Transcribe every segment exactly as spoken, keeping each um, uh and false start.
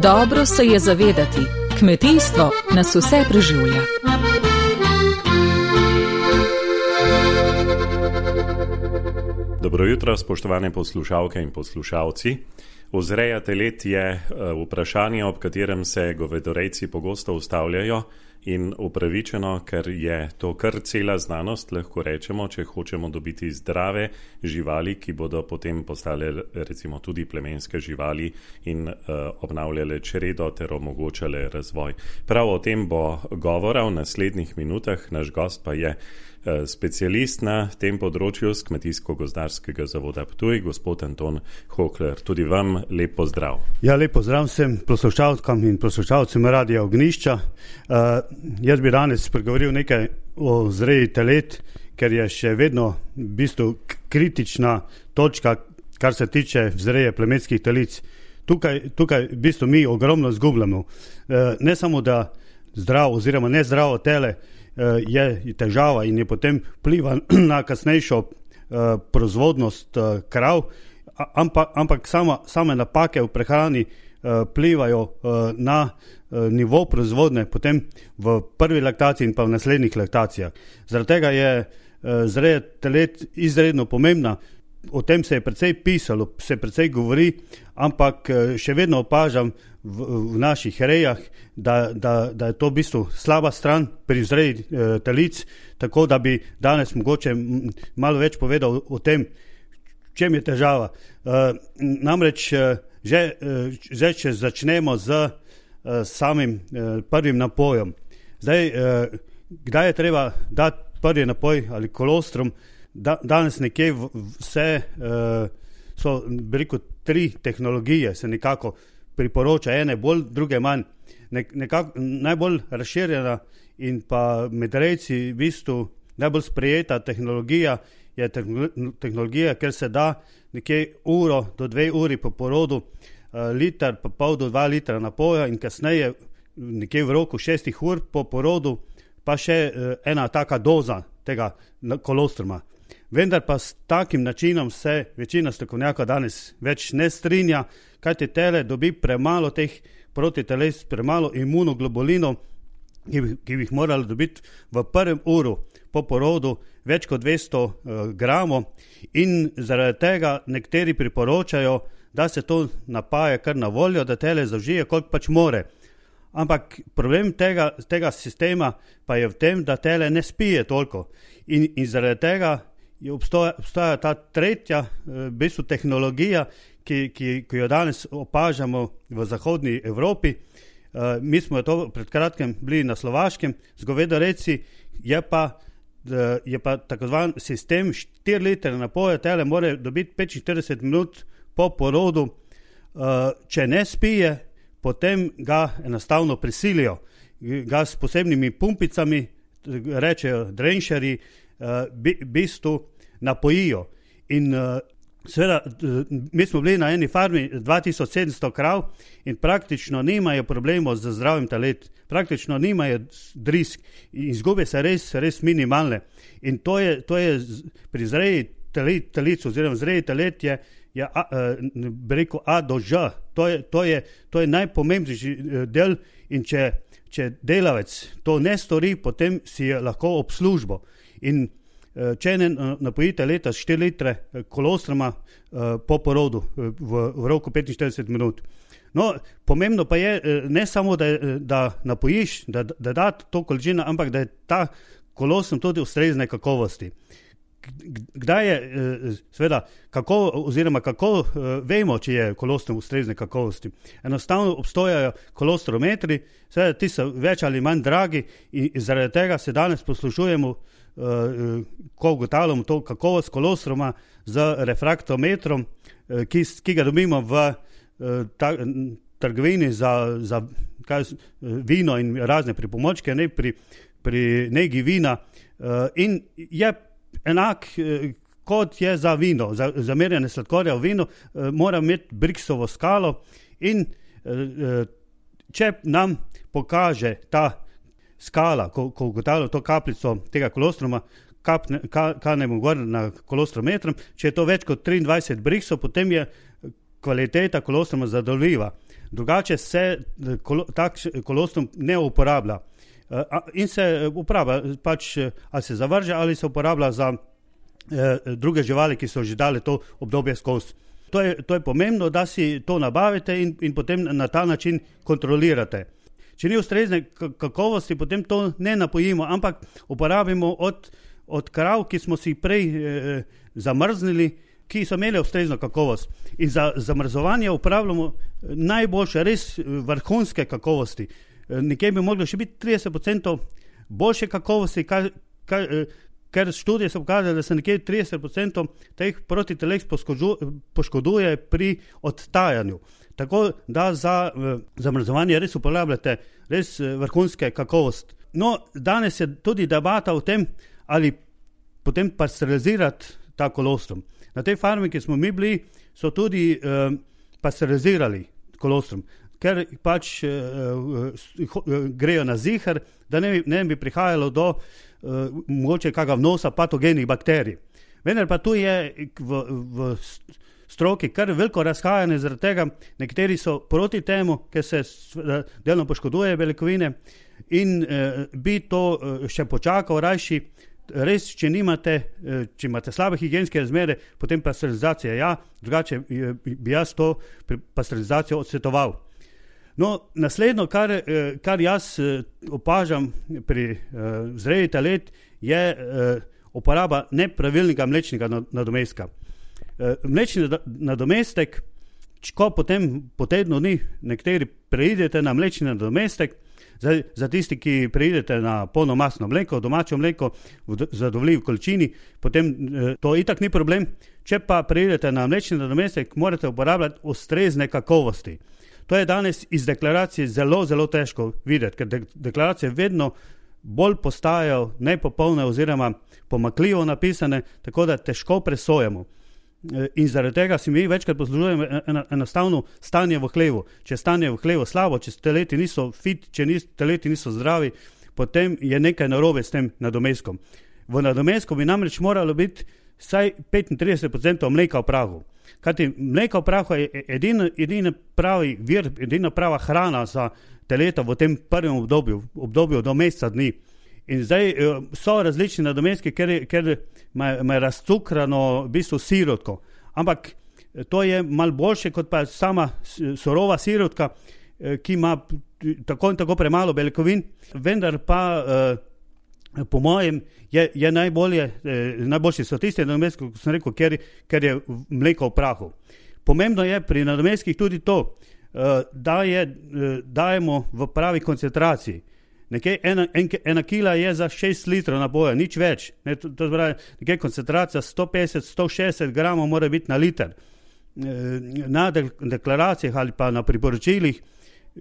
Dobro se je zavedati, kmetijstvo nas vse preživlja. Dobro jutro, spoštovane poslušalke in poslušalci. Vzreja telet je vprašanje, ob katerem se govedorejci pogosto ustavljajo in upravičeno, ker je to kar cela znanost, lahko rečemo, če hočemo dobiti zdrave živali, ki bodo potem postale recimo tudi plemenske živali in uh, obnavljale čredo ter omogočale razvoj. Prav o tem bo govora v naslednjih minutah, naš gost pa je specialist na tem področju z Kmetijsko-gozdarskega zavoda Ptuj, gospod Anton Hokler. Tudi vam lep pozdrav. Ja, lep pozdrav vsem poslušalkam in poslušalcem Radia Ognjišča. Uh, jaz bi danes pregovoril nekaj o vzreji telet, ker je še vedno v bistvu kritična točka, kar se tiče vzreje plemenskih telic. Tukaj, tukaj v bistvu mi ogromno zgubljamo. Uh, ne samo, da zdravo oziroma nezdravo tele je težava in je potem vpliva na kasnejšo uh, proizvodnost uh, krav, ampak, ampak sama, same napake v prehrani uh, vplivajo uh, na uh, nivo proizvodne potem v prvi laktaciji in pa v naslednjih laktacijah. Zaradi tega je uh, vzreja telet izredno pomembna. O tem se je precej pisalo, se precej govori, ampak še vedno opažam v, v naših rejah, da, da, da je to v bistvu slaba stran pri vzreji e, telic, tako da bi danes mogoče malo več povedal o tem, v čem je težava. E, namreč že, že če začnemo z e, samim e, prvim napojem. Zdaj, e, kdaj je treba dati prvi napoj ali kolostrum? Da, danes nekje vse uh, so, bi rekel, tri tehnologije se nekako priporoča, ene bolj, druge manj. Ne, nekako najbolj razširjena in pa med rejci v bistvu najbolj sprejeta tehnologija je tehnologija, ker se da nekje uro do dve uri po porodu uh, liter pa pol do dva litra napoja in kasneje nekje v roku šestih ur po porodu pa še uh, ena taka doza tega kolostruma. Vendar pa s takim načinom se večina strokovnjaka danes več ne strinja, kajti tele dobi premalo teh protiteles, premalo imunoglobulinov, ki, ki bi jih morali dobiti v prvem uru po porodu več kot dvesto uh, gramov in zaradi tega nekateri priporočajo, da se to napaja kar na voljo, da tele zaužije, koliko pač more. Ampak problem tega, tega sistema pa je v tem, da tele ne spije toliko in, in zaradi tega je obstoja, obstoja ta tretja v bistvu tehnologija, ki, ki, ki jo danes opažamo v zahodni Evropi. Uh, mi smo to pred kratkim bili na Slovaškem z govedorejci, je pa, uh, je pa tako zvan sistem štiri litre napoja, tele more dobiti petinštirideset minut po porodu. Uh, če ne spije, potem ga enostavno prisilijo. Ga s posebnimi pumpicami, rečejo drenšeri, v uh, bistvu napojijo. In uh, seveda, mi smo bili na eni farmi dva tisoč sedemsto krav in praktično nimajo problemov z zdravim telet, praktično nimajo drisk in izgube se res, res minimalne. In to je, to je pri zreji telet, telic oziroma zreji telet je, je a, bi rekel A do Ž. To je, to je, to je najpomembnejši del in če, če delavec to ne stori, potem si je lahko ob službo. In če ne napojite leta štiri litre kolostruma po porodu v, v roku petinštirideset minut. No, pomembno pa je ne samo, da, da napojiš, da, da da to količino, ampak da je ta kolostrum tudi ustrezne kakovosti. Kdaj je, seveda, kako, oziroma kako vemo, če je kolostrum ustrezne kakovosti? Enostavno obstojajo kolostrometri, seveda ti so več ali manj dragi in zaradi tega se danes poslušujemo, ko ugotavljamo to kakovost kolostruma z refraktometrom, ki, ki ga dobimo v ta, trgovini za, za kaj, vino in razne pripomočke, ne, pri, pri negi vina in je enak kot je za vino, za, za merjanje sladkorja v vinu, mora imeti Brixovo skalo in če nam pokaže ta skala, ko, ko ugotavljamo to kapljico tega kolostruma, kapne, ka, kanemo gor na kolostrometrom, če je to več kot triindvajset briksov, potem je kvaliteta kolostruma zadovoljiva. Drugače se kolo, tak kolostrum ne uporablja. In se uporablja, pač ali se zavrže, ali se uporablja za eh, druge živali, ki so že dali to obdobje skozi. To je, to je pomembno, da si to nabavite in, in potem na ta način kontrolirate. Če ni ustrezne kakovosti, potem to ne napojimo, ampak uporabimo od, od krav, ki smo si prej eh, zamrznili, ki so imeli ustrezno kakovost. In za zamrzovanje uporabljamo najboljše, res vrhunske kakovosti. Nekje bi moglo še biti trideset procentov boljše kakovosti, kar, kar, ker študije so pokazali, da se nekje trideset procentov teh protiteles poškoduje pri odtajanju. Tako da za zamrzovanje res uporabljate res vrhunske kakovosti. No, danes je tudi debata o tem, ali potem pasterizirati ta kolostrum. Na tej farmi, ki smo mi bili, so tudi eh, pasterizirali kolostrum, ker pač eh, grejo na zihar, da ne, ne bi prihajalo do eh, mogoče kakega vnosa patogenih bakterij. Vendar pa tu je v, v stroki kar veliko razhajanje, zaradi tega nekateri so proti temu, ker se delno poškoduje beljakovine in eh, bi to eh, še počakal rajši. Res, če nimate, če imate slabe higienske razmere, potem pasterizacija ja, drugače bi jaz to pasterizacijo odsvetoval. No, naslednjo, kar, kar jaz opažam pri vzreji telet, je uporaba nepravilnega mlečnega nadomestka. Mlečni nadomestek, ko potem po tednu dni nekateri preidete na mlečni nadomestek, Za, za tisti, ki preidete na polnomasno mleko, domačo mleko v zadovoljivi količini, potem eh, to itak ni problem. Če pa preidete na mlečni nadomestek, morate uporabljati ustrezne kakovosti. To je danes iz deklaracije zelo, zelo težko videti, ker de, deklaracije vedno bolj postajajo nepopolne oziroma pomanjkljivo napisane, tako da težko presojamo. In zaradi tega si mi večkrat poslužujemo enostavno stanje v hlevu. Če stanje v hlevu slabo, če teleti niso fit, če nis, teleti niso zdravi, potem je nekaj narobe s tem nadomestkom. V nadomestku bi namreč moralo biti vsaj petintrideset procentov mleka v prahu. Kajti mleka v prahu je edina, edina pravi vir, edina prava hrana za teleta v tem prvem obdobju, obdobju do meseca dni. In zdaj so različni nadomestki, ker, ker ima razcukrano v bistvu sirotko. Ampak to je malo boljše kot pa sama surova sirotka, ki ima tako in tako premalo beljakovin, vendar pa po mojem je, je najbolje, najboljši so tisti nadomestki, kot sem rekel, ker, ker je mleko v prahu. Pomembno je pri nadomestkih tudi to, da je dajemo v pravi koncentraciji. Nekaj ena, en, ena kila je za šest litrov napoja, nič več. Ne, to, to zbravi, nekaj koncentracija sto petdeset do sto šestdeset gramov mora biti na liter. Na deklaracijah ali pa na priporočilih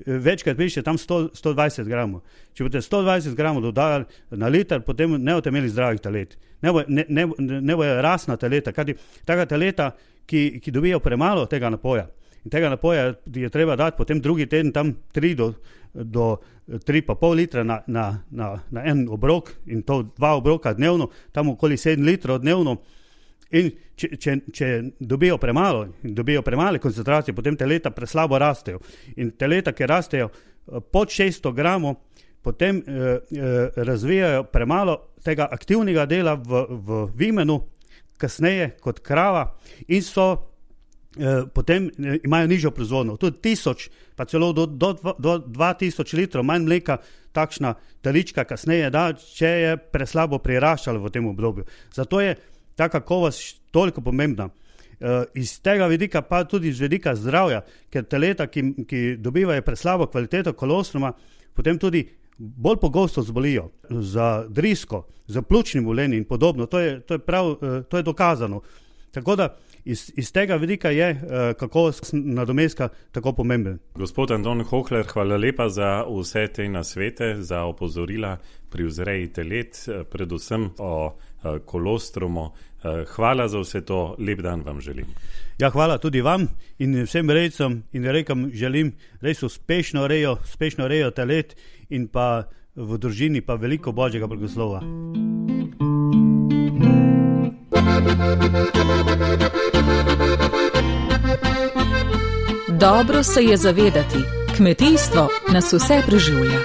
večkrat piše tam sto, sto dvajset gramov. Če boste sto dvajset gramov dodali na liter, potem ne boste imeli zdravih telet. Ne bo, ne, ne, ne bojo rasna teleta, kajti taka teleta, ki, ki dobijo premalo tega napoja. In tega napoja je treba dati potem drugi teden tam tri do, do tri pa pol litra na, na, na, na en obrok in to dva obroka dnevno, tam okoli sedem litrov dnevno. In če, če, če dobijo premalo, dobijo premale koncentracije, potem teleta preslabo rastejo. In teleta, ki rastejo pod šeststo gramov, potem eh, eh, razvijajo premalo tega aktivnega dela v, v vimenu, kasneje kot krava in so potem imajo nižjo proizvodnjo. Tudi tisoč, pa celo do, do, do dva tisoč litrov manj mleka takšna telička kasneje da, če je preslabo priraščalo v tem obdobju. Zato je ta kakovost toliko pomembna. Iz tega vidika pa tudi z vidika zdravja, ker teleta, ki, ki dobivajo preslabo kvaliteto kolostruma, potem tudi bolj pogosto zbolijo za drisko, za pljučnim obolenjem in podobno. To je, to je prav, to je dokazano. Tako da iz, iz tega vidika je uh, kakovost nadomestka tako pomemben. Gospod Anton Hohler, hvala lepa za vse te nasvete, za opozorila pri vzreji telet, predvsem o uh, kolostrumu. Uh, hvala za vse to, lep dan vam želim. Ja, hvala tudi vam in vsem rejcem in rekam želim res uspešno rejo, uspešno rejo telet in pa v družini pa veliko Božjega blagoslova. Dobro se je zavedati, kmetijstvo nas vse preživlja.